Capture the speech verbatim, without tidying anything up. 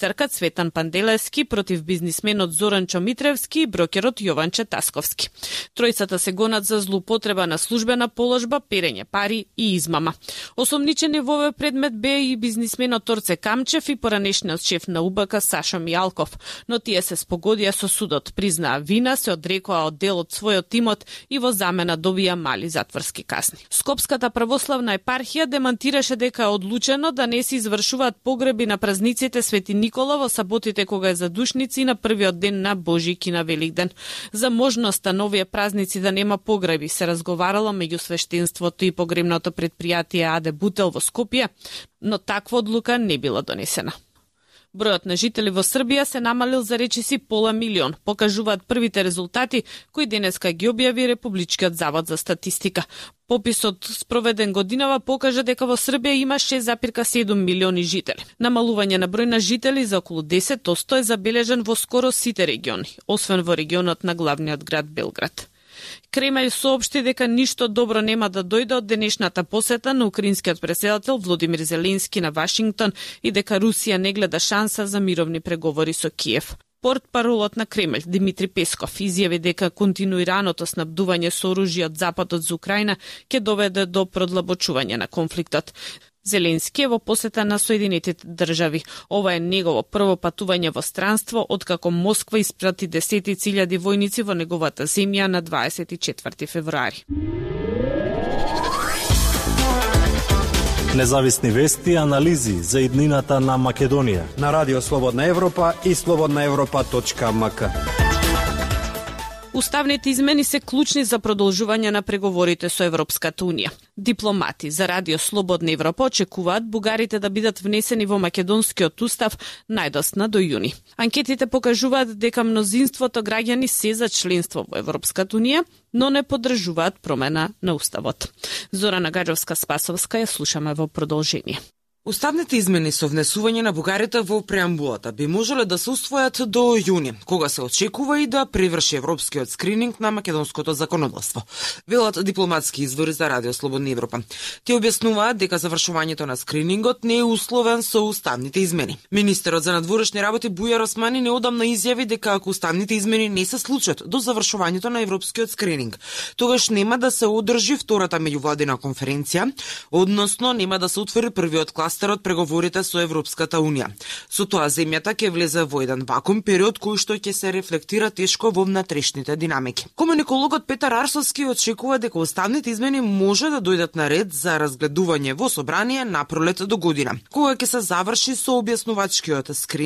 Црка Цветан Панделевски против бизнисменот Зоран Чомитревски и брокерот Јован Тасковски. Тројцата се гонат за злоупотреба на службена положба, перење пари и измама. Осомничени во овој предмет бе и бизнисменот Торце Камчев и поранешниот шеф на У Б К Сашо Мијалков, но тие се спогодија со судот, признаа вина, се одрекоа од дел од својот тимот и во замена добија мали затворски казни. Скопската православна епархија демантираше дека е одлучено да не се извршуваат погреби на празниците Свети Никола во саботите кога е задушници на првиот ден на Божик и на Великден. За можноста на овие празници да нема погреби се разговарало меѓу свештенството и погребното предпријатие А Д Бутел во Скопје, но таква одлука не била донесена. Бројот на жители во Србија се намалил за речиси пола милион, покажуваат првите резултати кои денеска ги објави Републичкиот завод за статистика. Пописот спроведен годинава покажа дека во Србија има шест зарез седум милиони жители. Намалување на број на жители за околу десет одсто е забележен во скоро сите региони, освен во регионот на главниот град Белград. Кремљ соопшти дека ништо добро нема да дојде од денешната посета на украинскиот претседател Володимир Зеленски на Вашингтон и дека Русија не гледа шанса за мировни преговори со Киев. Портпаролот на Кремљ Димитри Песков изјави дека континуираното снабдување со оружје од Западот за Украина ќе доведе до продлабочување на конфликтот. Зеленски е во посета на Соединетите држави. Ова е негово прво патување во странство откако Москва испрати десетици илјади војници во неговата земја на дваесет и четврти февруари. Независни вести и анализи за иднината на Македонија на Радио Слободна Европа и слободна европа точка ем ка. Уставните измени се клучни за продолжување на преговорите со Европската Унија. Дипломати за Радио Слободна Европа очекуваат бугарите да бидат внесени во македонскиот устав најдосна до јуни. Анкетите покажуваат дека мнозинството граѓани се за членство во Европската Унија, но не поддржуваат промена на уставот. Зорана Гаджовска-Спасовска ја слушаме во продолжение. Уставните измени со внесување на бугарите во преамбулата би можеле да се усвојат до јуни, кога се очекува и да преврши европскиот скрининг на македонското законодавство, велат дипломатски извори за Радио Слободна Европа. Те објаснуваат дека завршувањето на скринингот не е условен со уставните измени. Министерот за надворешни работи Бујар Османи неодамна изјави дека ако уставните измени не се случат до завршувањето на европскиот скрининг, тогаш нема да се одржи втората меѓувладина конференција, односно нема да се отвори првиот клас од преговорите со Европската Унија. Со тоа земјата ќе влезе во еден вакуум период кој што ќе се рефлектира тешко во внатрешните динамики. Комуникологот Петар Арсовски очекува дека уставните измени може да дојдат на ред за разгледување во собрание на пролет до година, кога ќе се заврши со објаснувачкиот скрининг